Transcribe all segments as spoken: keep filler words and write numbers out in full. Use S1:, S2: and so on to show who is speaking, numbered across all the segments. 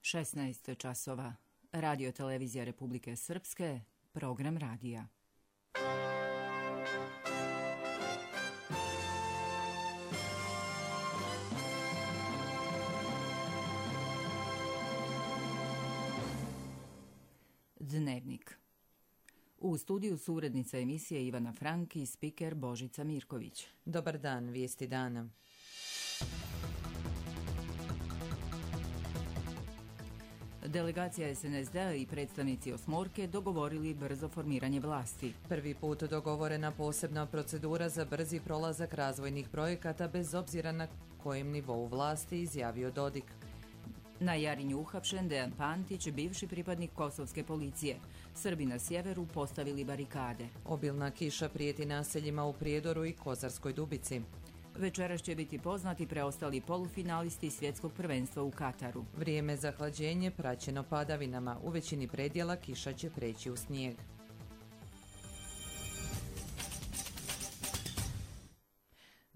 S1: šesnaest časova. Radio televizija Republike Srpske, program radija. Dnevnik. U studiju su urednica emisije Ivana Frank i spiker Božica Mirković.
S2: Dobar dan, vijesti dana.
S1: Delegacija es en es de a i predstavnici Osmorke dogovorili brzo formiranje vlasti.
S2: Prvi put dogovorena posebna procedura za brzi prolazak razvojnih projekata bez obzira na kojem nivou vlasti, izjavio Dodik.
S1: Na Jarinju uhapšen Dejan Pantić, bivši pripadnik kosovske policije. Srbi na sjeveru postavili barikade.
S2: Obilna kiša prijeti naseljima u Prijedoru i Kozarskoj Dubici.
S1: Večeras će biti poznati preostali polufinalisti svjetskog prvenstva u Kataru.
S2: Vrijeme za hlađenje praćeno padavinama. U većini predjela kiša će preći u snijeg.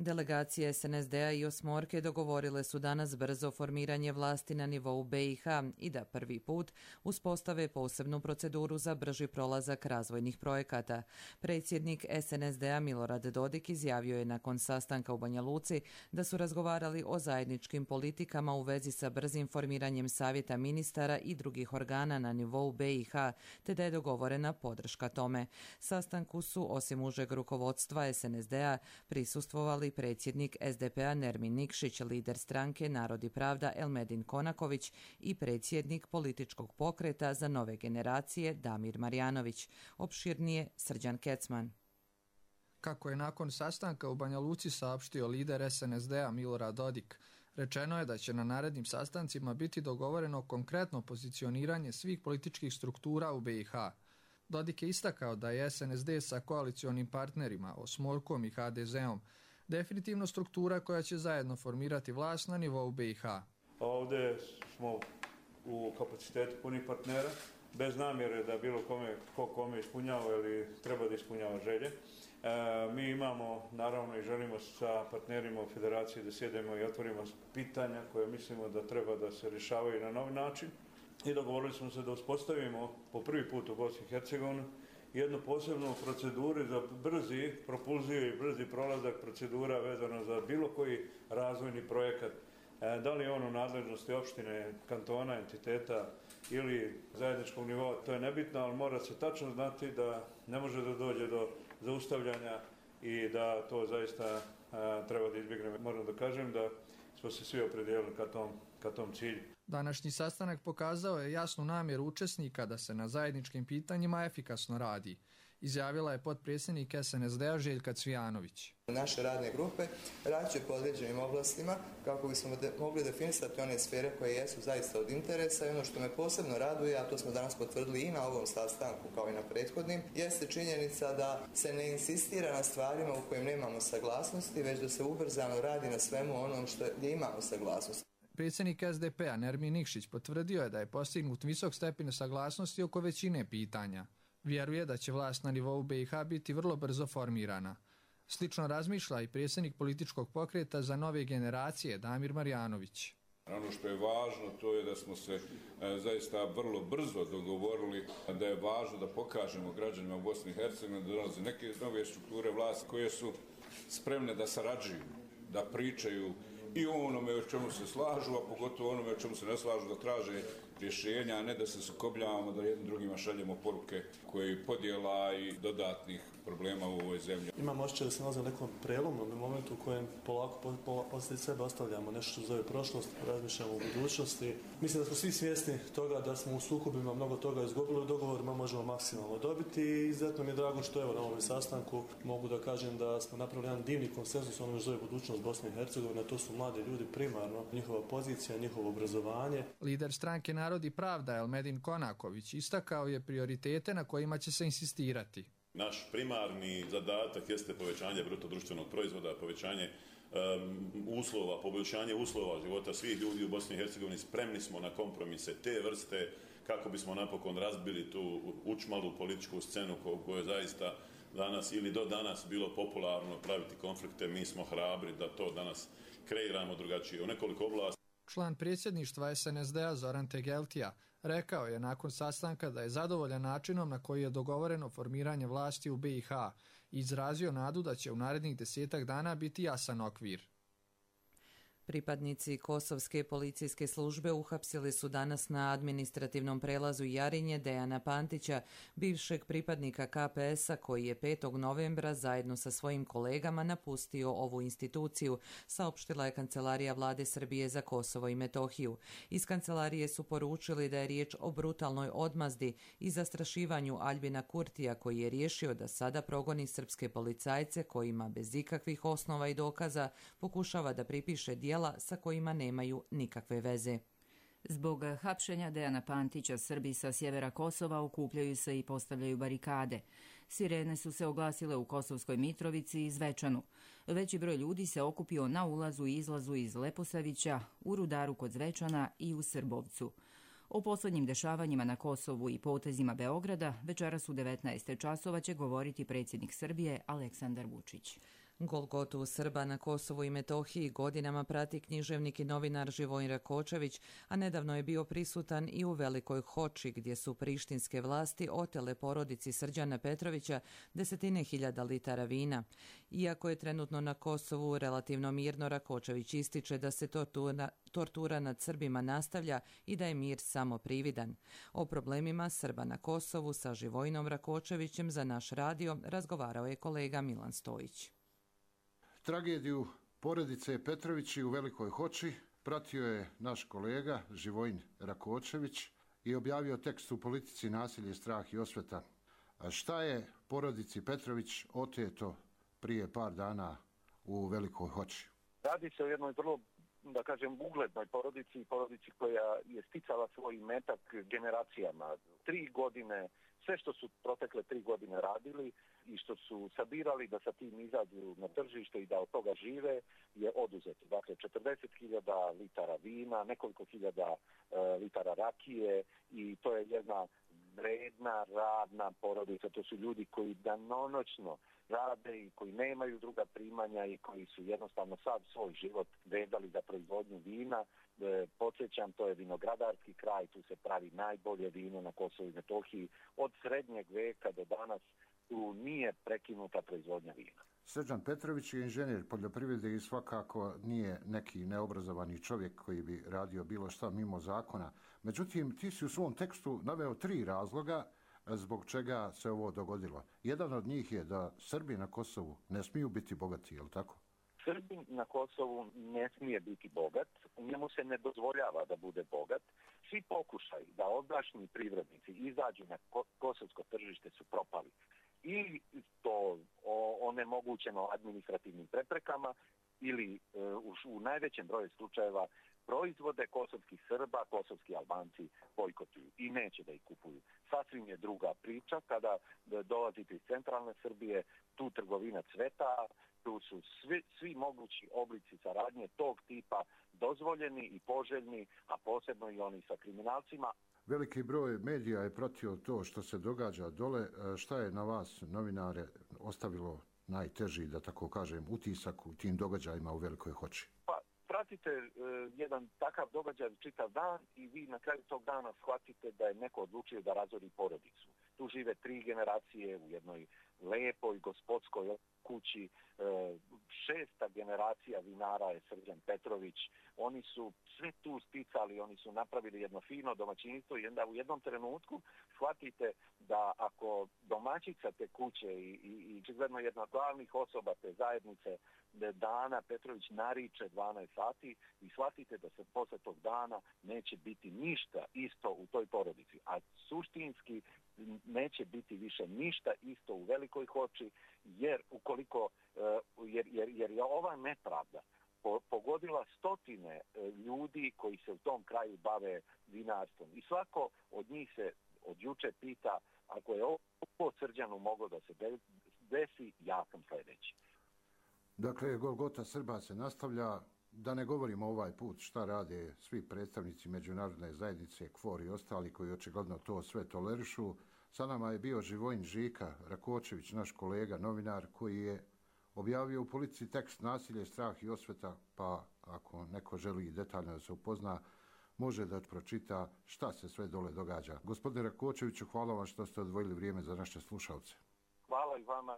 S2: Delegacije es en es de a i Osmorke dogovorile su danas brzo formiranje vlasti na nivou be i ha i da prvi put uspostave posebnu proceduru za brži prolazak razvojnih projekata. Predsjednik es en es de a Milorad Dodik izjavio je nakon sastanka u Banja Luci da su razgovarali o zajedničkim politikama u vezi sa brzim formiranjem savjeta ministara i drugih organa na nivou be i ha, te da je dogovorena podrška tome. Sastanku su, osim užeg rukovodstva es en es de a, prisustvovali predsjednik es de pe a Nermin Nikšić, lider stranke Narod i pravda Elmedin Konaković i predsjednik političkog pokreta za nove generacije Damir Marjanović. Opširnije Srđan Kecman.
S3: Kako je nakon sastanka u Banja Luci saopštio lider es en es de a Milorad Dodik, rečeno je da će na narednim sastancima biti dogovoreno konkretno pozicioniranje svih političkih struktura u be i ha. Dodik je istakao da je es en es de sa koalicionim partnerima Osmorkom i ha de zeom definitivno struktura koja će zajedno formirati vlast na nivou be i ha.
S4: Ovdje smo u kapacitetu punih partnera, bez namjere da bilo kome, ko kome ispunjava ili treba da ispunjava želje. E, mi imamo, naravno, i želimo sa partnerima u federaciji da sjedemo i otvorimo pitanja koje mislimo da treba da se rješavaju na novi način. I dogovorili smo se da uspostavimo po prvi put u Bosni i Hercegovini jednu posebnu proceduru za brzi propulziju i brzi prolazak procedura vezano za bilo koji razvojni projekat. E, da li je on u nadležnosti opštine, kantona, entiteta ili zajedničkog nivoa, to je nebitno, ali mora se tačno znati da ne može da dođe do zaustavljanja i da to zaista a, treba da izbjegnemo. Moram da kažem da smo se svi opredijelili ka tom, ka tom cilju.
S3: Današnji sastanak pokazao je jasnu namjeru učesnika da se na zajedničkim pitanjima efikasno radi, izjavila je potpredsjednik es en es de a Željka Cvijanović.
S5: Naše radne grupe radit će po određenim oblastima kako bismo de- mogli definisati one sfere koje jesu zaista od interesa i ono što me posebno raduje, a to smo danas potvrdili i na ovom sastanku kao i na prethodnim, jeste činjenica da se ne insistira na stvarima u kojim nemamo saglasnosti, već da se ubrzano radi na svemu onom što gdje imamo saglasnost.
S3: Predsjednik es de pe a Nermin Nikšić potvrdio je da je postignut visok stepen saglasnosti oko većine pitanja. Vjeruje da će vlast na nivou be i ha biti vrlo brzo formirana. Slično razmišlja i predsjednik političkog pokreta za nove generacije Damir Marjanović.
S6: Ono što je važno to je da smo se e, zaista vrlo brzo dogovorili da je važno da pokažemo građanima u Bosni i Hercegovini da dolaze neke nove strukture vlasti koje su spremne da sarađuju, da pričaju i o onome o čemu se slažu, a pogotovo onome o čemu se ne slažu, da traže rješenja, a ne da se sukobljavamo, da jednim drugima šaljemo poruke koje podjela i dodatnih problema u ovoj zemlji.
S7: Imamo osjećaj da se nalazi u nekom prelomnom momentu u kojem polako poslije sebe ostavljamo nešto što zove prošlost, razmišljamo o budućnosti. Mislim da smo svi svjesni toga da smo u sukobima mnogo toga izgubili, u dogovorima možemo maksimalno dobiti i izuzetno mi je drago što evo na ovom sastanku mogu da kažem da smo napravili jedan divni konsenzus onome što zove budućnost Bosne i Hercegovine, to su mladi ljudi primarno, njihova pozicija, njihovo obrazovanje.
S3: Lider stranke Narod i pravda Elmedin Konaković istakao je prioritete na kojima će se insistirati.
S8: Naš primarni zadatak jeste povećanje bruto društvenog proizvoda, povećanje um, uslova, poboljšanje uslova života svih ljudi u Bosni i Hercegovini. Spremni smo na kompromise te vrste kako bismo napokon razbili tu učmalu političku scenu koju je zaista danas ili do danas bilo popularno praviti konflikte. Mi smo hrabri da to danas kreiramo drugačije u nekoliko oblasti.
S3: član predsjedništva es en es de a Zoran Tegeltija, rekao je nakon sastanka da je zadovoljan načinom na koji je dogovoreno formiranje vlasti u be i ha i izrazio nadu da će u narednih desetak dana biti jasan okvir.
S2: Pripadnici Kosovske policijske službe uhapsili su danas na administrativnom prelazu Jarinje Dejana Pantića, bivšeg pripadnika ka pe es a koji je petog novembra zajedno sa svojim kolegama napustio ovu instituciju, saopštila je Kancelarija Vlade Srbije za Kosovo i Metohiju. Iz kancelarije su poručili da je riječ o brutalnoj odmazdi i zastrašivanju Aljbina Kurtija, koji je riješio da sada progoni srpske policajce kojima bez ikakvih osnova i dokaza pokušava da pripiše djela sa kojima nemaju nikakve veze.
S1: Zbog hapšenja Dejana Pantića, Srbi sa sjevera Kosova okupljaju se i postavljaju barikade. Sirene su se oglasile u Kosovskoj Mitrovici i Zvečanu. Veći broj ljudi se okupio na ulazu i izlazu iz Leposavića, u Rudaru kod Zvečana i u Srbovcu. O posljednjim dešavanjima na Kosovu i potezima Beograda večeras u devetnaest časova će govoriti predsjednik Srbije Aleksandar Vučić.
S2: Golgotu Srba na Kosovu i Metohiji godinama prati književnik i novinar Živojin Rakočević, a nedavno je bio prisutan i u Velikoj Hoči, gdje su prištinske vlasti otele porodici Srđana Petrovića desetine hiljada litara vina. Iako je trenutno na Kosovu relativno mirno, Rakočević ističe da se tortura, tortura nad Srbima nastavlja i da je mir samo prividan. O problemima Srba na Kosovu sa Živojinom Rakočevićem za naš radio razgovarao je kolega Milan Stojić.
S9: Tragediju porodice Petrovići u Velikoj Hoči pratio je naš kolega Živojin Rakočević i objavio tekst u Politici, nasilje, strah i osveta. A šta je porodici Petrović oteto prije par dana u Velikoj Hoči?
S10: Radi se o jednoj vrlo, da kažem, uglednoj porodici, porodici koja je sticala svoj metak generacijama. Tri godine, sve što su protekle tri godine radili i što su sabirali da sa tim izađu na tržište i da od toga žive, je oduzeto. Dakle, četrdeset hiljada litara vina, nekoliko hiljada e, litara rakije i to je jedna vredna, radna porodica. To su ljudi koji danonoćno rade i koji nemaju druga primanja i koji su jednostavno sav svoj život vezali za proizvodnju vina. E, podsjećam, to je vinogradarski kraj, tu se pravi najbolje vino na Kosovu i Metohiji. Od srednjeg veka do danas tu nije prekinuta proizvodnja vina.
S9: Srđan Petrović je inženjer poljoprivrede i svakako nije neki neobrazovani čovjek koji bi radio bilo šta mimo zakona. Međutim, ti si u svom tekstu naveo tri razloga zbog čega se ovo dogodilo. Jedan od njih je da Srbi na Kosovu ne smiju biti bogati, je li tako?
S10: Srbin na Kosovu ne smije biti bogat, njemu se ne dozvoljava da bude bogat. Svi pokušaj da ovdašnji privrednici izađu na kosovsko tržište su propali. Ili to onemogućeno administrativnim preprekama ili e, u, u najvećem broju slučajeva proizvode kosovskih Srba, kosovski Albanci bojkotuju i neće da ih kupuju. Sasvim je druga priča kada dolazite iz centralne Srbije, tu trgovina cveta, tu su svi, svi mogući oblici saradnje tog tipa dozvoljeni i poželjni, a posebno i oni sa kriminalcima.
S9: Veliki broj medija je pratio to što se događa dole. Šta je na vas, novinare, ostavilo najteži, da tako kažem, utisak u tim događajima u Velikoj Hoči?
S10: Pa, pratite e, jedan takav događaj čitav dan i vi na kraju tog dana shvatite da je neko odlučio da razori porodicu. Tu žive tri generacije u jednoj lepoj gospodskoj kući. E, šesta generacija vinara je Srđan Petrović. Oni su sve tu sticali, oni su napravili jedno fino domaćinstvo i onda u jednom trenutku shvatite da ako domaćica te kuće i, i, i čigledno jedna od glavnih osoba te zajednice Dana Petrović nariče dvanaest sati i shvatite da se posle tog dana neće biti ništa isto u toj porodici. A suštinski neće biti više ništa isto u Velikoj Hoči, jer ukoliko jer, jer, jer je ova nepravda pogodila stotine ljudi koji se u tom kraju bave vinarstvom. I svako od njih se od juče pita, ako je ovo Srđanu moglo da se desi, ja sam sljedeći.
S9: Dakle, Golgota Srba se nastavlja. Da ne govorimo ovaj put šta rade svi predstavnici međunarodne zajednice, K F O R i ostali koji očigledno to sve tolerišu. Sa nama je bio Živojin Žika Rakočević, naš kolega, novinar, koji je objavio u Politici tekst Nasilje, strah i osveta, pa ako neko želi detaljno da se upozna, može da pročita šta se sve dole događa. Gospodine Rakočeviću, hvala vam što ste odvojili vrijeme za naše slušalce.
S10: Hvala i vama.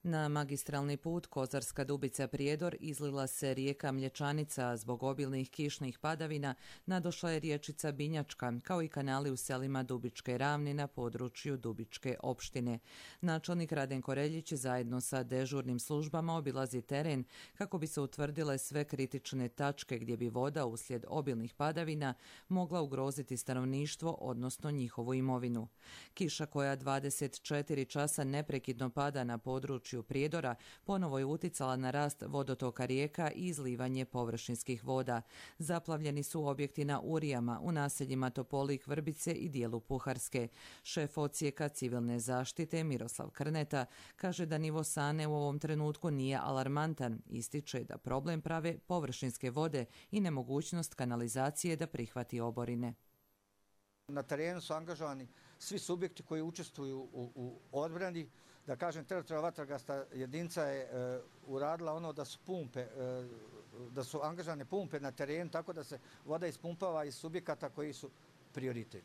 S2: Na magistralni put Kozarska Dubica-Prijedor izlila se rijeka Mlječanica, a zbog obilnih kišnih padavina nadošla je riječica Binjačka, kao i kanali u selima Dubičke Ravni na području Dubičke opštine. Načelnik Radenko Reljić zajedno sa dežurnim službama obilazi teren kako bi se utvrdile sve kritične tačke gdje bi voda uslijed obilnih padavina mogla ugroziti stanovništvo, odnosno njihovu imovinu. Kiša koja dvadeset četiri časa neprekidno pada na području Prijedora ponovo je uticala na rast vodotoka rijeka i izlivanje površinskih voda. Zaplavljeni su objekti na Urijama, u naseljima Topolik, Vrbice i dijelu Puharske. Šef odsjeka civilne zaštite Miroslav Krneta kaže da nivo Sane u ovom trenutku nije alarmantan. Ističe da problem prave površinske vode i nemogućnost kanalizacije da prihvati oborine.
S11: Na terenu su angažovani svi subjekti koji učestvuju u, u odbrani. Da kažem, teritorijalna vatrogasna jedinica je e, uradila ono da su pumpe, e, da su angažane pumpe na terenu, tako da se voda ispumpava iz subjekata koji su prioritet.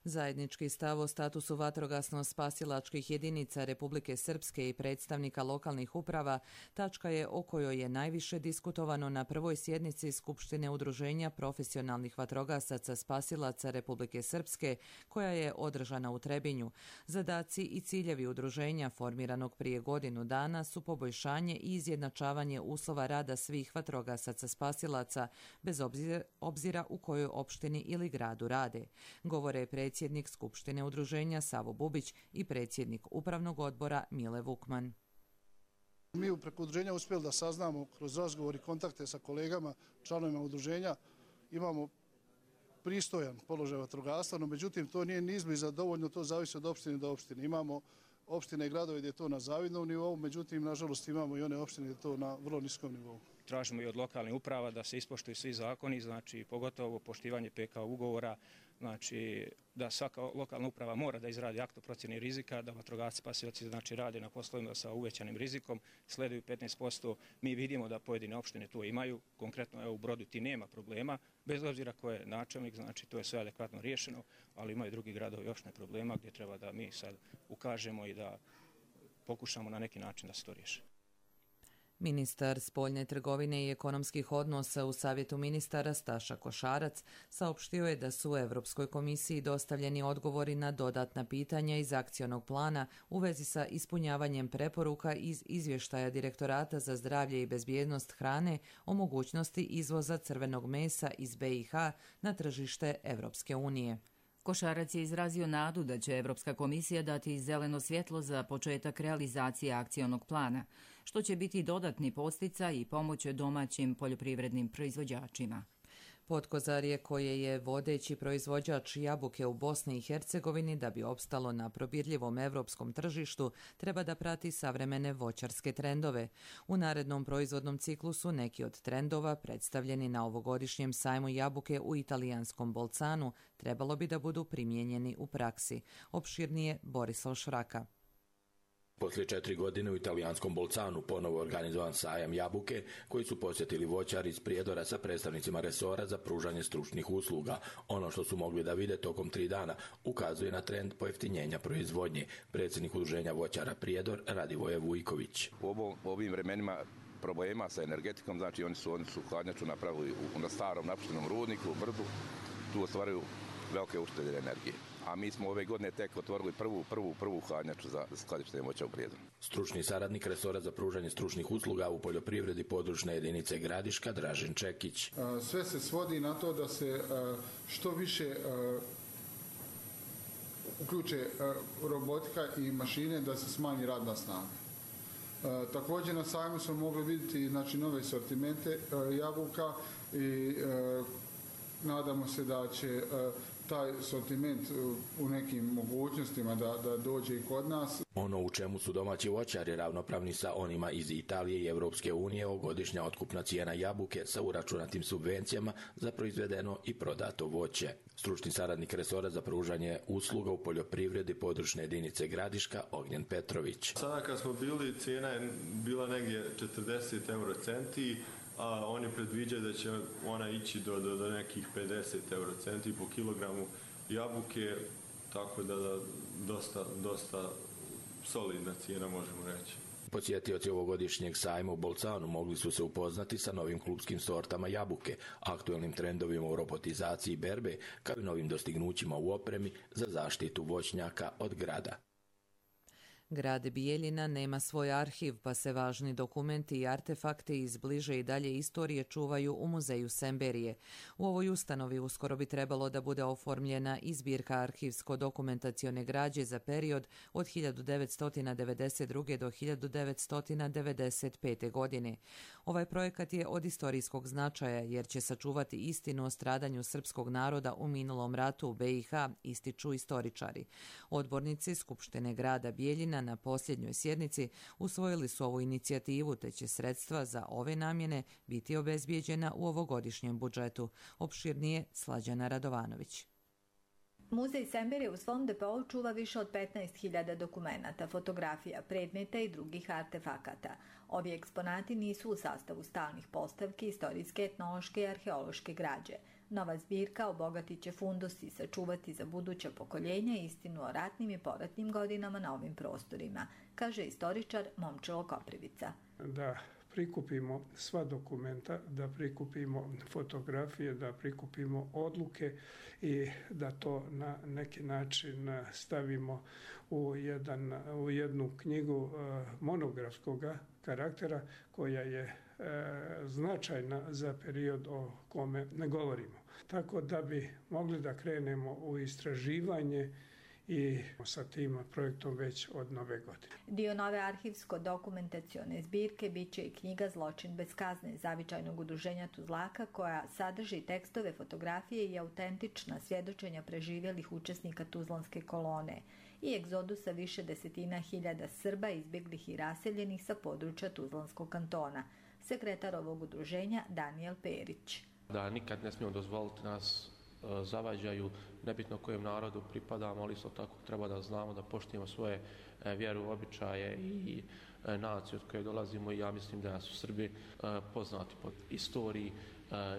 S2: Zajednički stav o statusu vatrogasno-spasilačkih jedinica Republike Srpske i predstavnika lokalnih uprava tačka je o kojoj je najviše diskutovano na prvoj sjednici Skupštine Udruženja profesionalnih vatrogasaca spasilaca Republike Srpske, koja je održana u Trebinju. Zadaci i ciljevi udruženja formiranog prije godinu dana su poboljšanje i izjednačavanje uslova rada svih vatrogasaca spasilaca, bez obzira, obzira u kojoj opštini ili gradu rade. Govore predsjednik predsjednik Skupštine Udruženja Savo Bubić i predsjednik Upravnog odbora Mile Vukman.
S12: Mi u preko udruženja uspjeli da saznamo kroz razgovor i kontakte sa kolegama, članovima udruženja, imamo pristojan položaj vatrogastva, no međutim to nije ni izbliza dovoljno, to zavisi od opštine do opštine. Imamo opštine i gradove gdje je to na zavidnom nivou, međutim nažalost imamo i one opštine gdje je to na vrlo niskom nivou.
S13: Tražimo i od lokalnih uprava da se ispoštuju svi zakoni, znači pogotovo poštivanje P K ugovora, znači da svaka lokalna uprava mora da izradi akt o procjeni rizika, da vatrogasci spasilaci znači rade na poslovima sa uvećanim rizikom, sleduju petnaest posto. Mi vidimo da pojedine opštine to imaju, konkretno evo u Brodu ti nema problema, bez obzira ko je načelnik, znači to je sve adekvatno riješeno, ali imaju drugi gradovi još ne problema gdje treba da mi sad ukažemo i da pokušamo na neki način da se to riješi.
S2: Ministar spoljne trgovine i ekonomskih odnosa u Savjetu ministara Staša Košarac saopštio je da su u Europskoj komisiji dostavljeni odgovori na dodatna pitanja iz akcionog plana u vezi sa ispunjavanjem preporuka iz izvještaja Direktorata za zdravlje i bezbjednost hrane o mogućnosti izvoza crvenog mesa iz B i H na tržište Europske unije.
S1: Košarac je izrazio nadu da će Evropska komisija dati zeleno svjetlo za početak realizacije akcionog plana, što će biti dodatni podsticaj i pomoć domaćim poljoprivrednim proizvođačima.
S2: Potkozarje, koje je vodeći proizvođač jabuke u Bosni i Hercegovini da bi opstalo na probirljivom evropskom tržištu, treba da prati savremene voćarske trendove. U narednom proizvodnom ciklusu neki od trendova predstavljeni na ovogodišnjem sajmu jabuke u italijanskom Bolcanu trebalo bi da budu primijenjeni u praksi. Opširnije Borislav Šraka.
S14: Poslije četiri godine u italijanskom Bolcanu ponovo organizovan sajam jabuke koji su posjetili voćari iz Prijedora sa predstavnicima resora za pružanje stručnih usluga. Ono što su mogli da vide tokom tri dana ukazuje na trend pojeftinjenja proizvodnje. Predsjednik udruženja voćara Prijedor Radivoje Vujković.
S15: U ovom, ovim vremenima problema sa energetikom, znači oni su, oni su hladnjaču napravili u, na starom napuštenom rudniku u Brdu, tu ostvaraju velike uštede energije. A mi smo ove godine tek otvorili prvu, prvu, prvu hladnjaču za skladištenje voća u Prijedoru.
S14: Stručni saradnik resora za pružanje stručnih usluga u poljoprivredi područne jedinice Gradiška Dražen Čekić.
S16: Sve se svodi na to da se što više uključe robotika i mašine da se smanji radna snaga. Također na sajmu smo mogli vidjeti znači, nove sortimente jabuka i nadamo se da će taj sortiment u nekim mogućnostima da, da dođe i kod nas.
S14: Ono u čemu su domaći voćari ravnopravni sa onima iz Italije i Europske unije godišnja otkupna cijena jabuke sa uračunatim subvencijama za proizvedeno i prodato voće. Stručni saradnik resora za pružanje usluga u poljoprivredi područne jedinice Gradiška Ognjen Petrović.
S17: Sada kad smo bili, cijena je bila negdje četrdeset eurocenti, a oni predviđaju da će ona ići do, do, do nekih pedeset eurocenti po kilogramu jabuke, tako da, da dosta, dosta solidna cijena možemo reći.
S14: Posjetioci ovogodišnjeg sajma u Bolcanu mogli su se upoznati sa novim klupskim sortama jabuke, aktuelnim trendovima u robotizaciji i berbe, kao i novim dostignućima u opremi za zaštitu voćnjaka od grada.
S2: Grad Bijeljina nema svoj arhiv, pa se važni dokumenti i artefakti iz bliže i dalje istorije čuvaju u muzeju Semberije. U ovoj ustanovi uskoro bi trebalo da bude oformljena i zbirka arhivsko-dokumentacione građe za period od hiljadu devetsto devedeset druge. do hiljadu devetsto devedeset pete. godine. Ovaj projekat je od istorijskog značaja jer će sačuvati istinu o stradanju srpskog naroda u minulom ratu u B i H, ističu istoričari. Odbornici Skupštine grada Bijeljina na posljednjoj sjednici usvojili su ovu inicijativu, te će sredstva za ove namjene biti obezbijeđena u ovogodišnjem budžetu. Opširnije Slađana Radovanović.
S18: Muzej Semberije u svom depoju čuva više od petnaest hiljada dokumenata, fotografija, predmeta i drugih artefakata. Ovi eksponati nisu u sastavu stalnih postavki istorijske, etnološke i arheološke građe. Nova zbirka obogatit će fundus i sačuvati za buduća pokoljenja istinu o ratnim i poratnim godinama na ovim prostorima, kaže istoričar Momčilo Koprivica.
S19: Da prikupimo sva dokumenta, da prikupimo fotografije, da prikupimo odluke i da to na neki način stavimo u, jedan, u jednu knjigu monografskog karaktera koja je značajna za period o kome ne govorimo. Tako da bi mogli da krenemo u istraživanje i sa tim projektom već od nove godine.
S18: Dio nove arhivsko-dokumentacione zbirke bit će i knjiga Zločin bez kazne zavičajnog udruženja Tuzlaka, koja sadrži tekstove, fotografije i autentična svjedočenja preživjelih učesnika Tuzlanske kolone i egzodusa više desetina hiljada Srba izbjeglih i raseljenih sa područja Tuzlanskog kantona. Sekretar ovog udruženja Danijel Perić.
S20: Da nikad ne smijemo dozvoliti nas zavađaju, nebitno kojem narodu pripadamo, ali isto tako treba da znamo da poštujemo svoje vjeru, običaje i naciju od koje dolazimo i ja mislim da su Srbi poznati po istoriji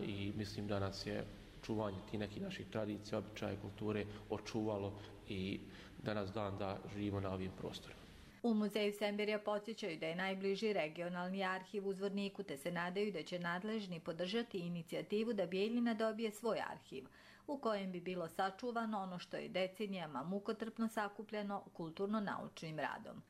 S20: i mislim da nas je čuvanje tih nekih naših tradicija, običaja i kulture očuvalo i danas dan da živimo na ovim prostorima.
S18: U muzeju Semberija podsjećaju da je najbliži regionalni arhiv u Zvorniku, te se nadaju da će nadležni podržati inicijativu da Bijeljina dobije svoj arhiv, u kojem bi bilo sačuvano ono što je decenijama mukotrpno sakupljeno kulturno-naučnim radom.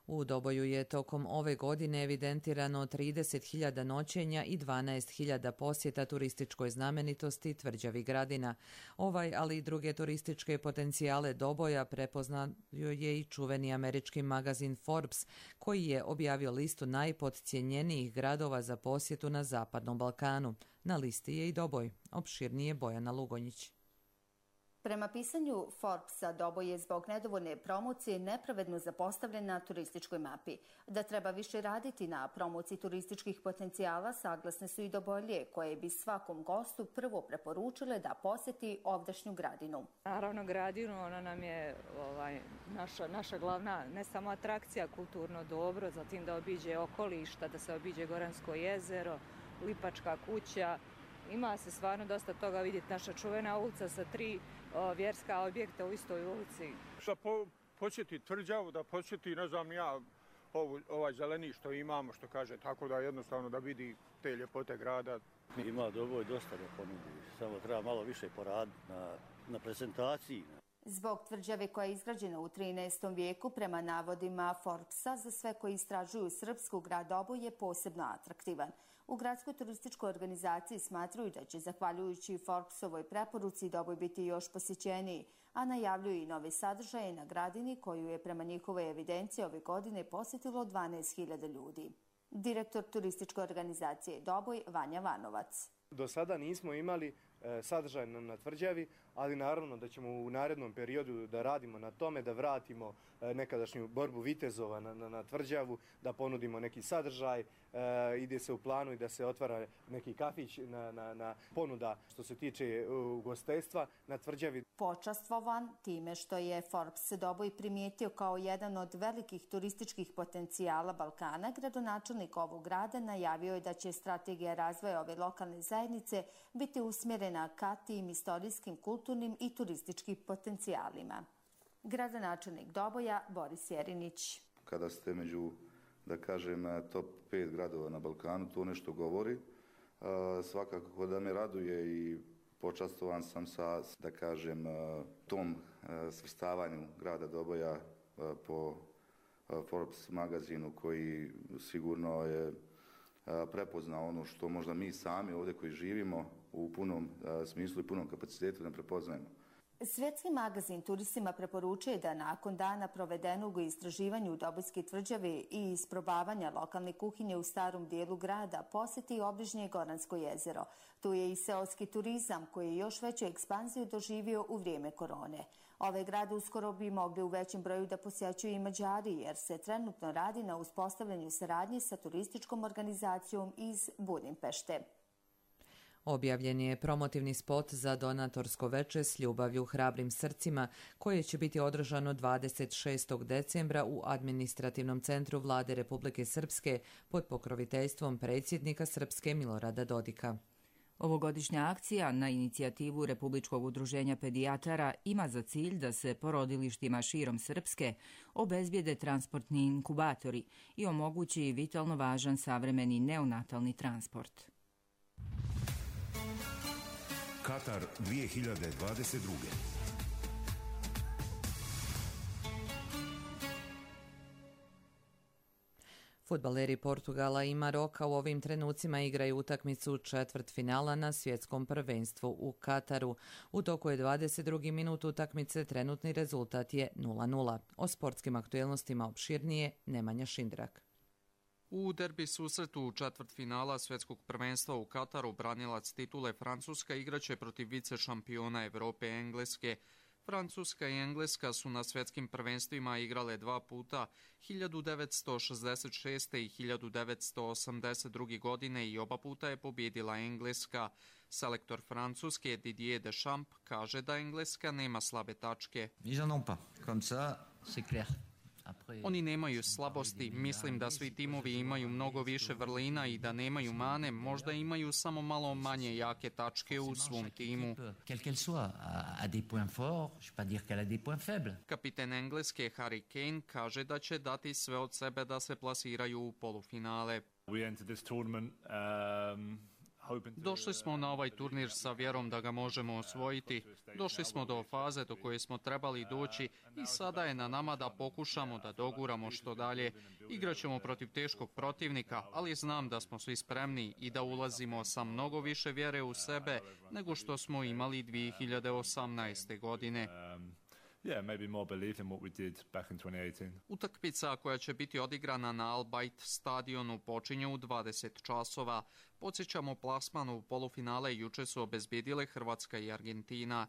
S2: U Doboju je tokom ove godine evidentirano trideset hiljada noćenja i dvanaest hiljada posjeta turističkoj znamenitosti Tvrđavi Gradina. Ovaj, ali i druge turističke potencijale Doboja prepoznao je i čuveni američki magazin Forbes, koji je objavio listu najpodcijenjenijih gradova za posjetu na Zapadnom Balkanu. Na listi je i Doboj. Opširnije Bojana Lugonjić.
S21: Prema pisanju Forbesa, Doboj je zbog nedovoljne promocije nepravedno zapostavljen na turističkoj mapi. Da treba više raditi na promociji turističkih potencijala, saglasne su i Dobojlije, koje bi svakom gostu prvo preporučile da posjeti ovdašnju Gradinu.
S22: Naravno, Gradinu, ona nam je ovaj, naša, naša glavna, ne samo atrakcija, kulturno dobro, zatim da obiđe okolišta, da se obiđe Goransko jezero, Lipačka kuća. Ima se stvarno dosta toga vidjeti. Naša čuvena ulica sa tri o, vjerska objekta u istoj ulici.
S23: Da po, posjeti Tvrđavu, da posjeti, ne znam ja, ovu, ovaj zeleni što imamo, što kaže, tako da jednostavno da vidi te ljepote grada.
S24: Ima Doboj dosta da ponudi, samo treba malo više poraditi na, na prezentaciji.
S21: Zbog Tvrđave koja je izgrađena u trinaestom vijeku, prema navodima Forbesa, za sve koji istražuju srpsku, grad Doboj je posebno atraktivan. U gradskoj turističkoj organizaciji smatruju da će, zahvaljujući Forbesovoj preporuci, Doboj biti još posjećeniji, a najavljuju i nove sadržaje na Gradini, koju je prema njihovoj evidenciji ove godine posjetilo dvanaest hiljada ljudi. Direktor turističke organizacije Doboj, Vanja Vanovac.
S25: Do sada nismo imali
S4: sadržaj na tvrđavi, ali naravno da ćemo u narednom periodu da radimo na tome, da vratimo nekadašnju borbu vitezova na, na, na tvrđavu, da ponudimo neki sadržaj, ide se u planu i da se otvara neki kafić na, na, na ponuda što se tiče ugostiteljstva na tvrđavi.
S21: Počastvovan time što je Forbes Doboj primijetio kao jedan od velikih turističkih potencijala Balkana, gradonačelnik ovog grada najavio je da će strategija razvoja ove lokalne zajednice biti usmjerena ka tim istorijskim, kulturnim i turističkim potencijalima. Gradonačelnik Doboja Boris Jerinić.
S5: Kada ste među, da kažem, top pet gradova na Balkanu, to nešto govori. Svakako da me raduje i počastovan sam sa, da kažem, tom svrstavanju grada Doboja po Forbes magazinu, koji sigurno je prepoznao ono što možda mi sami ovdje koji živimo u punom smislu i punom kapacitetu ne prepoznajemo.
S21: Svjetski magazin turistima preporučuje da nakon dana provedenog u istraživanju Dobojske tvrđave i isprobavanja lokalne kuhinje u starom dijelu grada posjeti obližnje Goransko jezero. Tu je i seoski turizam koji je još veću ekspanziju doživio u vrijeme korone. Ove grade uskoro bi mogli u većem broju da posjećuju i Mađari, jer se trenutno radi na uspostavljanju saradnje sa turističkom organizacijom iz Budimpešte.
S2: Objavljen je promotivni spot za donatorsko veče s ljubavlju hrabrim srcima, koje će biti održano dvadeset šestog decembra u administrativnom centru Vlade Republike Srpske pod pokroviteljstvom predsjednika Srpske Milorada Dodika.
S1: Ovogodišnja akcija na inicijativu Republičkog udruženja pedijatara ima za cilj da se porodilištima širom Srpske obezbijede transportni inkubatori i omogući vitalno važan savremeni neonatalni transport.
S6: Katar dvije hiljade dvadeset druge.
S2: Fudbaleri Portugala i Maroka u ovim trenucima igraju utakmicu četvrtfinala na svjetskom prvenstvu u Kataru. U toku je dvadeset drugi minut utakmice, trenutni rezultat je nula nula. O sportskim aktuelnostima opširnije Nemanja Šindrak.
S7: U derbi susretu četvrtfinala svjetskog prvenstva u Kataru branilac titule Francuska igraće protiv vice šampiona Evrope Engleske. Francuska i Engleska su na svjetskim prvenstvima igrale dva puta, hiljadu devetsto šezdeset šeste. i hiljadu devetsto osamdeset druge. godine i oba puta je pobjedila Engleska. Selektor Francuske Didier Deschamps kaže da Engleska nema slabe tačke.
S25: Ils en ont pas. Comme ça, c'est clair.
S7: Oni nemaju slabosti, mislim da svi timovi imaju mnogo više vrlina i da nemaju mane, možda imaju samo malo manje jake tačke u svom timu. Kapiten Engleske Harry Kane kaže da će dati sve od sebe da se plasiraju u polufinale. Došli smo na ovaj turnir sa vjerom da ga možemo osvojiti. Došli smo do faze do koje smo trebali doći i sada je na nama da pokušamo da doguramo što dalje. Igraćemo protiv teškog protivnika, ali znam da smo svi spremni i da ulazimo sa mnogo više vjere u sebe nego što smo imali dvije hiljade osamnaeste. godine.
S26: Yeah, maybe more belief than what we did back in twenty eighteen.
S7: Utakmica koja će biti odigrana na Al Bayt stadionu počinje u dvadeset časova. Podsjećamo, plasman u polufinale juče su obezbjedile Hrvatska i Argentina.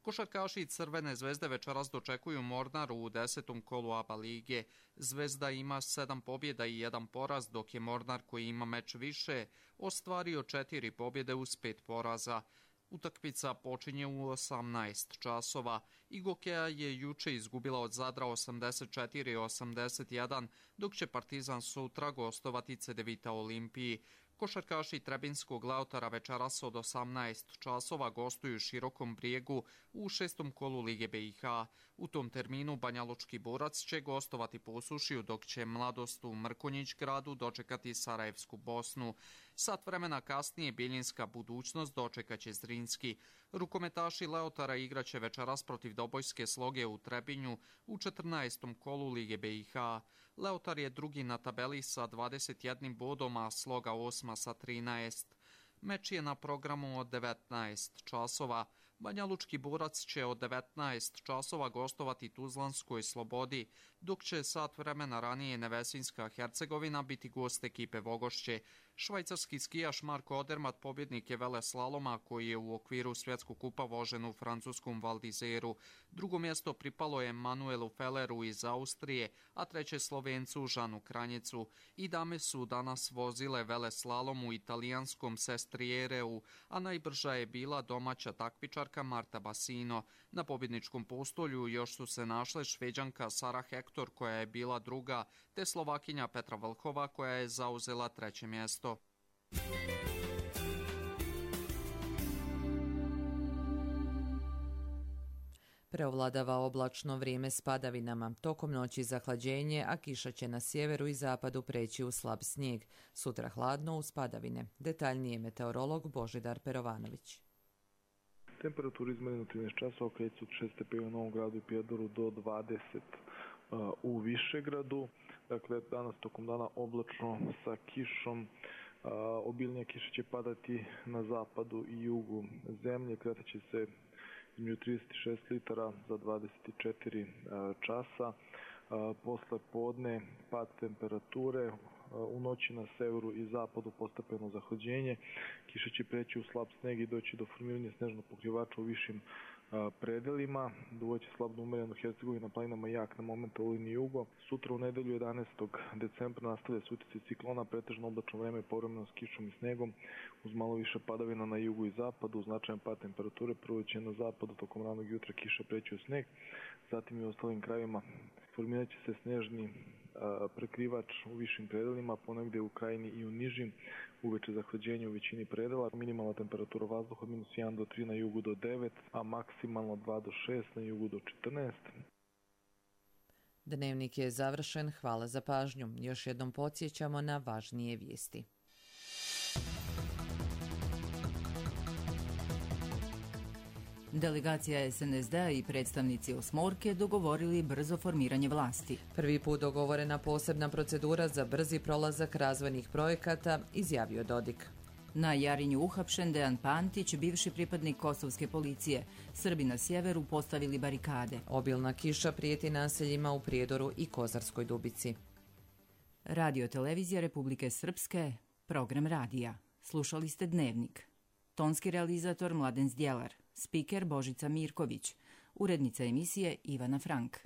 S7: Košarkaši Crvene zvezde večeras dočekuju Mornar u desetom kolu A B A lige. Zvezda ima sedam pobjeda i jedan poraz, dok je Mornar, koji ima meč više, ostvario četiri pobjede uz pet poraza. Utakmica počinje u osamnaest časova. Igokeja je juče izgubila od Zadra osamdeset četiri osamdeset jedan, dok će Partizan sutra gostovati Cedevita Olimpiji. Košarkaši Trebinskog Leotara večeras od osamnaest časova gostuju Širokom Brijegu u šestom kolu Lige B i H. U tom terminu Banjalučki Borac će gostovati Posušiju, dok će Mladost u Mrkonjić Gradu dočekati Sarajevsku Bosnu. Sat vremena kasnije Bijeljinska Budućnost dočekaće Zrinski. Rukometaši Leotara igraće večeras protiv Dobojske Sloge u Trebinju u četrnaestom kolu Lige B i H. Leotar je drugi na tabeli sa dvadeset jednim bodom, a Sloga osma sa trinaest. Meč je na programu od devetnaest časova. Banjalučki Borac će od devetnaest časova gostovati Tuzlanskoj Slobodi, dok će sat vremena ranije Nevesinska Hercegovina biti gost ekipe Vogošće. Švajcarski skijaš Marko Odermatt pobjednik je veleslaloma koji je u okviru svjetskog kupa vožen u francuskom Val d'Izeru. Drugo mjesto pripalo je Manuelu Felleru iz Austrije, a treće Slovencu Žanu Kranjecu. I dame su danas vozile veleslalom u italijanskom Sestriereu, a najbrža je bila domaća takmičarka Marta Bassino. Na pobjedničkom postolju još su se našle Šveđanka Sara Hector koja je bila druga, te Slovakinja Petra Vlhova koja je zauzela treće mjesto.
S2: Preovladava oblačno vrijeme s padavinama. Tokom noći zahlađenje, a kiša će na sjeveru i zapadu preći u slab snijeg. Sutra hladno uz padavine. Detaljnije meteorolog Božidar Perovanović.
S3: Temperaturi izmjerene u trinaest časova kreću od šest stepeni u Novom Gradu i Prijedoru do dvadeset uh, u Višegradu. Dakle, danas tokom dana oblačno sa kišom. Uh, obilnija kiša će padati na zapadu i jugu zemlje. Kretat će se između trideset šest litara za dvadeset četiri uh, časa. Uh, posle podne pad temperature. U noći na severu i zapadu postepeno zahlađenje. Kiša će preći u slab sneg i doći do formiranja snežnog pokrivača u višim a, predelima. Duvaće slabno umereno Hercegovina, planinama jak na momenta u liniji jugo. Sutra u nedelju jedanaestog decembra nastavlja se utjecaj ciklona, pretežno oblačno vreme povremeno s kišom i snegom, uz malo više padavina na jugu i zapadu, značajan pad temperature. Prvo će na zapadu tokom ranog jutra kiša preći u sneg, zatim i u ostalim krajevima formirat će se snežni prekrivač u višim predelima, ponegdje u krajini i u nižim, uveče zahlađenje u većini predela. Minimalna temperatura vazduha od minus jedan do tri na jugu do devet, a maksimalno dva do šest na jugu do četrnaest.
S2: Dnevnik je završen, hvala za pažnju. Još jednom podsjećamo na važnije vijesti.
S1: Delegacija es en es de a i predstavnici osmorke dogovorili brzo formiranje vlasti.
S2: Prvi put dogovorena posebna procedura za brzi prolazak razvojnih projekata, izjavio Dodik.
S1: Na Jarinju uhapšen Dejan Pantić, bivši pripadnik kosovske policije. Srbi na sjeveru postavili barikade.
S2: Obilna kiša prijeti naseljima u Prijedoru i Kozarskoj Dubici.
S1: Radio televizija Republike Srpske, program radija. Slušali ste Dnevnik. Tonski realizator Mladen Zdjelar. Spiker Božica Mirković. Urednica emisije Ivana Frank.